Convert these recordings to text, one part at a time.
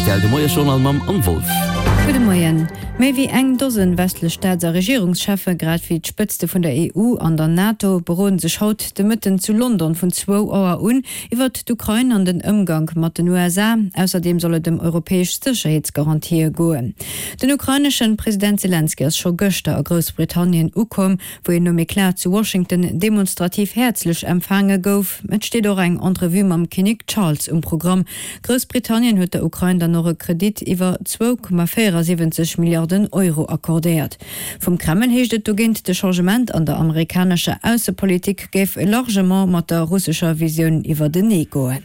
Rtl, de Moiesjournal mam Anne Wolff. Gudde Moien. Méi wéi eng Dosen westlech Staats a Regierungscheffe, grad wéi d'Spëtzte vun der EU an der NATO beroden sech haut de Mëtten zu London vun zwou Auer un iwwert d'Ukrain an den Ëmgank mat den USA. Ausserdeem soll et ëm europäesch Sécherheetsgarantië goen. Den ukraineschen President Selenskyj ass scho gëschter a Groussbritannien ukomm. wou hien nom Eclat zu Washington demonstrativ häerzlech empfaange gouf. Et steet och eng Entrevue mam Kinnek Charles um Programm. Groussbritannien huet der Ukrain dann och e Kredit iwwer 2,74 Milliarden Euro accordéiert. Vum Kreml heescht et dogéint, de Changement an der amerikanescher Aussepolitik géif largement mat der russescher Visioun iwwertenee goen.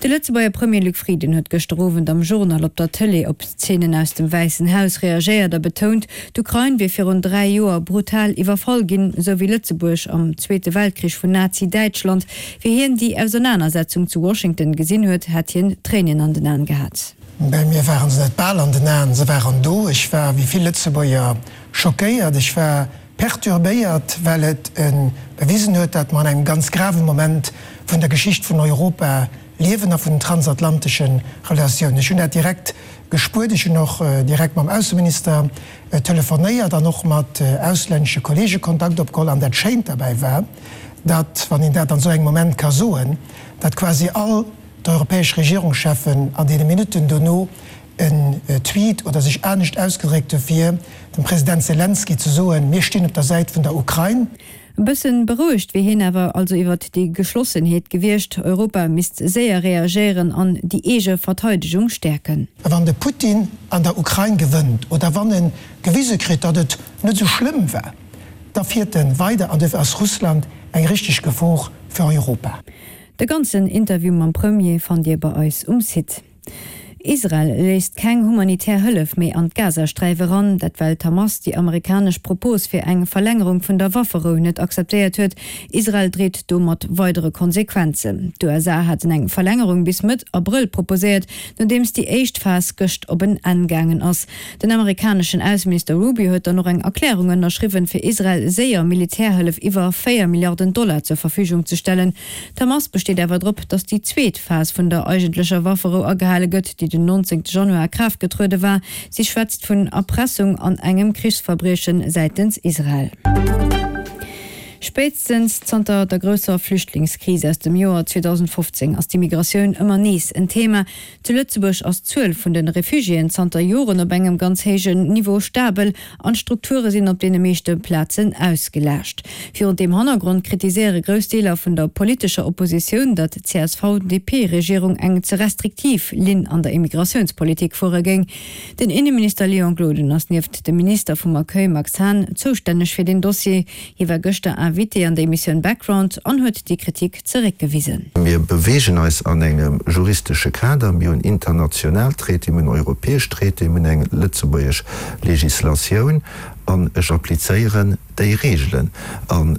De Lëtzebuerger Premier Luc Frieden huet gëschter Owend am Journal op der Tëlee op Zeenen aus dem Wäissen Haus reagéiert a betount, d'Ukrain wier virun 3 Joer brutal iwwerfall ginn, esou wéi Lëtzebuerg am Zweete Weltkrich vun Nazi-Däitschland. Wéi hien déi Ausernanersetzung zu Washington gesinn huet, hätt hien Tréinen an den Aen gehat. Bei mir waren se net bal an den Aen, se waren do. Ech war, wéi vill Lëtzebuerger, schockéiert. Ech war Perturbéiert, well et bewisen huet, datt mer an engem ganz grave Moment vun der Geschicht vun Europa liewen a vun den transatlantesche Relatiounen. Ech hunn dat direkt gespuert. Ech hunn och direkt mam Ausseminister telefonéiert an och mat auslännesche Kollege Kontakt opgeholl. An dat Schéint derbäi war, datt, wann een dat an esou engem Moment ka soen, datt quasi all d'europäesch Regierungscheffen an deene Minutten dono en Tweet oder sech anescht ausgedréckt hu fir dem President Selenskyj ze soen, mir stinn op der Säit vun der Ukrain. E bëssen berouegt wier hien awer also iwwert déi Geschlossenheet gewiescht. Europa misst séier reagéieren an déi eege Verteidegung stäerken. A wann de Putin an der Ukrain gewënnt oder wann e gewise kritt, datt et net esou schlëmm war, da fiert e weider an duerfir ass Russland eng richteg Gefor fir Europa. De ganzen Interview mam Premier fannt Dir bei eis um Site. Israel léisst keng humanitär Hëllef méi an d'Gazasträif eran. Dat well d'Hamas déi amerikanesch Propos fir eng Verlängerung vun der Wafferou net akzeptéiert huet. Israel dreet do mat weidere Konsequenzen. D'USA haten eng Verlängerung bis Mëtt Abrëll proposéiert, nodeems déi éischt Phas gëscht op en Enn gaangen ass. Den amerikaneschen Ausseminister Rubio huet dann och eng Erklärung ënnerschriwwen, fir Israel séier Militärhëllef iwwer 4 Milliarden Dollar zur Verfügung ze stellen. D'Hamas besteet awer drop, datt déi zweet Phas vun der eigentlecher Wafferou agehale gëtt, déi den 19 Januar a Kraaft getruede war. Si schwätzt vun Erpressung an engem Krichsverbrieche säitens Israel. Spéitstens zanter der grousser Flüchtlingskris aus dem Joer 2015 ass d'Immigratioun ëmmer nees en Thema. Zu Lëtzebuerg ass d'Zuel vun de Refugiéen zanter Joren op engem ganz héijen Niveau stabel an d'Strukture sinn op deene meeschte Plazen ausgelaascht. Virun deem Hannergrond kritiséiere grouss Deeler vun der politescher Oppositioun, datt d'CSV-DP-Regierung eng ze restriktiv Linn an der Immigratiounspolitik fuere géing. Den Inneminister Léon Gloden ass nieft dem Minister vum Accueil Max Hahn zoustänneg fir deen Dossier. Hie war gëschter Invité an der Emissioun Background an huet déi Kritik zeréckgewisen. Mir beweegen eis an engem juristesche Kader. Mir hunn international Traitéen, mir hunn europäesch Traitéen, mir hunn eng lëtzebuergesch Législatioun an ech applizéieren déi Regelen. An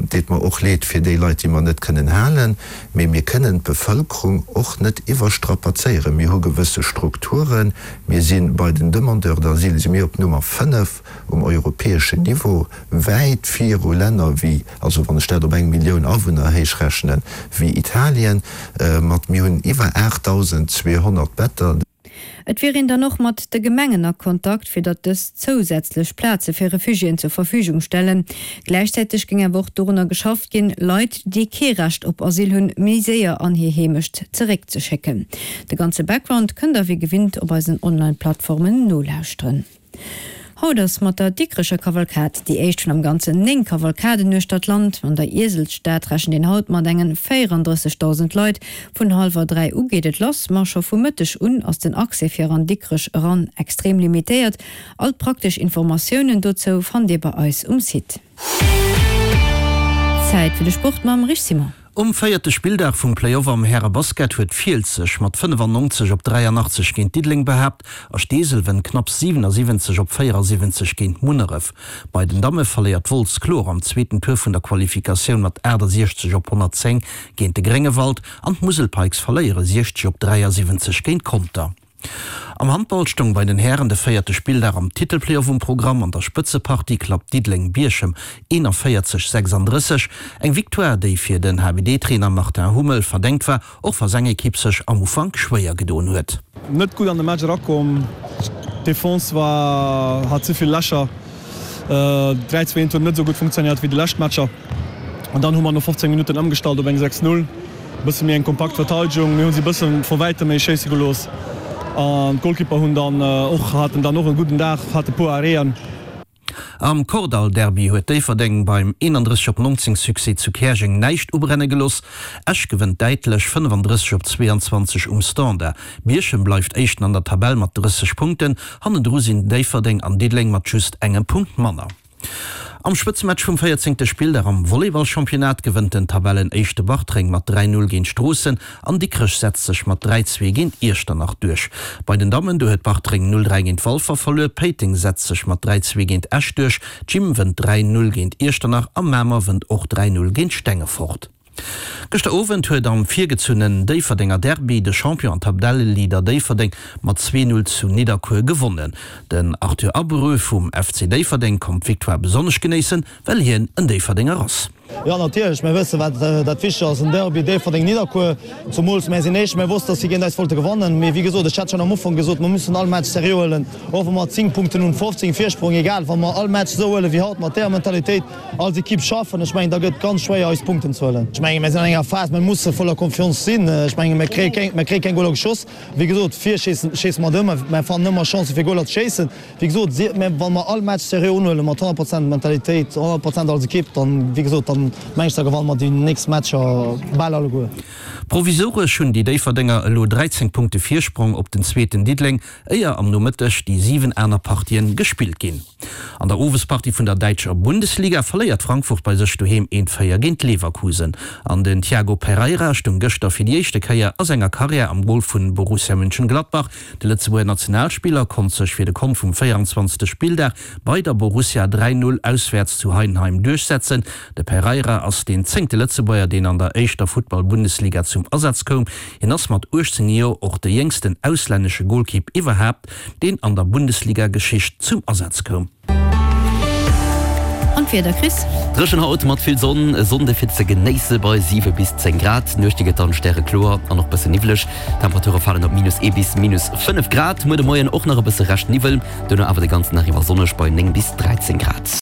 deet mer och leed fir déi Leit, déi mer net kënnen halen, mee mir kënnen d'Bevëlkerung och net iwwerstrapazéieren. Mir hu gewësse Strukturen. Mir si bei den Demandeurs d'asile si mir op Nummer 5 um europäeschen Niveau, wäit viru Länner wéi, also wann ech dat op eng Millioun Awunner héichrechnen, wéi Italien, mat, mir hunn iwwer 8.200 Better. Et wier een dann och mat de Gemengen a Kontakt, fir datt dës zousätzlech Plaze fir Refugiéen zur Verfügung stellen. Gläichzäiteg géing awer och dorunner geschafft ginn, Leit, déi kee Recht op Asyl hunn, méi séier an hir Heemecht zeréckzeschécken. De ganze Background kënnt der wéi gewinnt op eisen Online-Plattformen nolauschteren. Haut ass mat der Dikrecher Kavalkad déi éischt vun am Ganzen 9 Kavalkaden uechter d'Land. An der Ieselsstad rechent een haut mat engen 34.000 Leit. Vun hallwer 3 u geet et lass, ma scho vu Mëtteg un ass den Accès fir an Dikrech eran extrem limitéiert. All d'praktesch Informatiounen dozou fannt dir bei eis um Site. Zäit fir de Sport mam Rich Simon. Um véierte Spilldag vum Play-Off am Härebasket huet Fiels sech mat 95 op 83 géint Diddeleng behaapt a Steesel wënnt knapps 77 op 74 géint Munneref. Bei den Damme verléiert Wolz kloer am zweeten Tour vun der Qualifikatioun mat 68 op 110 géint de Gréngewald an d'Musel Pikes verléiere 60 op 73 géint Conter. Am Handball stoung bei den Hären de véierte Spilldag am Titelplayoff um Programm. An der Spëtzepartie klappt Diddeleng Bierchem 41, 36. Eng Victoire, déi fir den HBD-Trainer Martin Hummel verdengt war, och wa seng Ekipp sech am Ufank schwéier gedoen huet. Net gutt an de Match erakomm, d'Defense war hat ze vill Lächer, 3 2 1 huet net esou gutt funktionéiert wéi déi lescht Matcher an dann hu mer no 15 Minutten ëmgestallt op eng 6 0, e bësse méi eng kompakt Verteidegung, mir hu si e bësse vu wäitem méi schéisse gelooss an d'Goalkeeper hunn dann och haten dann och e gudden Dag, hate puer Arrêten. Am Kordall-Derby huet Déifferdeng beim 31 op 19 Succès zu Käerjeng näischt ubrenne gelooss. Esch gewënnt däitlech 35 op 22 um Standard. Bierchem bleift Éischten an der Tabell mat 30 Punkten. Hannendru sinn Déifferdeng an Diddeleng mat just engem Punkt manner. Am Spëtzematch vum véierzéngte Spilldag am Volleyball-Championnat gewënnt den Tabellenéischte Bartreng mat 3, 0 géint Stroossen an Dikrech setzt sech mat 3, 2 géint Iechternach duerch. Bei den Dammen, do huet Bartreng 0, 3 géint Walfer verluer, Péiteng setzt sech mat 3, 2 géint Esch duerch, Gym wënnt 3, 0 géint Iechternach a Mamer wënnt och 3, 0 géint Stengefort. Gëschter Owend huet am virgezunnen Déifferdenger Derby de Champion an Tabelleleader Déifferdeng mat 2, 0 zu Nidderkuer gewonnen. Den Arthur Abreu vum FC Déifferdeng konnt d'Victoire besonnesch genéissen, well hien en Déifferdenger ass. Jo natierlech, mir wëssen wat dat wichteg ass, en Derby Déifferdeng-Nidderkuer. Zumools mär sinn Éischt, mär wossten datt si géint eis wollte gewannen. Mee wéi gesot, ech hat schonn am Ufank gesot, mer mussen all Match seriö huelen, och wa mer 10 Punkten hunn, 15 Virsprong, egal, wa mer all Match esou huelen wéi haut mat där Mentalitéit, Als Ekipp schaffen, ech mengen, da gëtt ganz schwéier eis Punkten ze huelen. Ech mengen, mir sinn an enger Phas, mir musse voller Confiance sinn. Ech mengen, mir kréie keng, mir kréie keng Goler geschoss. Wéi gesot, vir schéissen, schéisse mer ëmmer, mir fannen ëmmer Chancen fir Goler ze schéissen. Wéi gesot, si, mir, wa mer all Match seriö unhuelen, mat 100 Prozent Mentalitéit, 100 Prozent als Ekipp, dann, wéi gesot, dann meng ech, da gewanne mer déi nächst Matcher bal alleguer. Provisoresch hunn déi Déifferdenger elo 13 Punkte Virsprong op den zweeten Diddeleng, éier am Nomëtteg déi 7 aner Partien gespillt ginn. An der Owespartie vun der däitscher Bundesliga verléiert Frankfurt bei sech doheem 1, 4 géint Leverkusen. An den Tiago Pereira stoung gëschter fir déi éischte Kéier a senger Karriär am Gol vu Borussia Mönchengladbach. De Lëtzebuerger Nationalspiller konnt sech fir de Kont vum 24. Spilldag bei der Borussia 3, 0 auswäerts zu Heidenheim duerchsetzen. De Pereira ass deen zéngte Lëtzebuerger, deen an der éischter Futtball-Bundesliga zum Asaz koum. Hien ass mat 18 Joer och de jéngsten auslännesche Golkipp iwwerhaapt, deen an der Bundesliga-Geschicht zum Asaz koum. An d'Wieder, Chris? Dréchen haut mat vill Sonn, e Sonnde fir ze genéisse bei 7 bis 10 Grad. D'Nuechte gëtt dann stärekloer an och bësse niwweleg. D'Temperature falen op minus 1 bis minus 5 Grad. Muer de Moien och nach e bësse Rescht Niwwel, duerno awer de ganzen Dag iwwer sonneg bei 9 bis 13 Grad.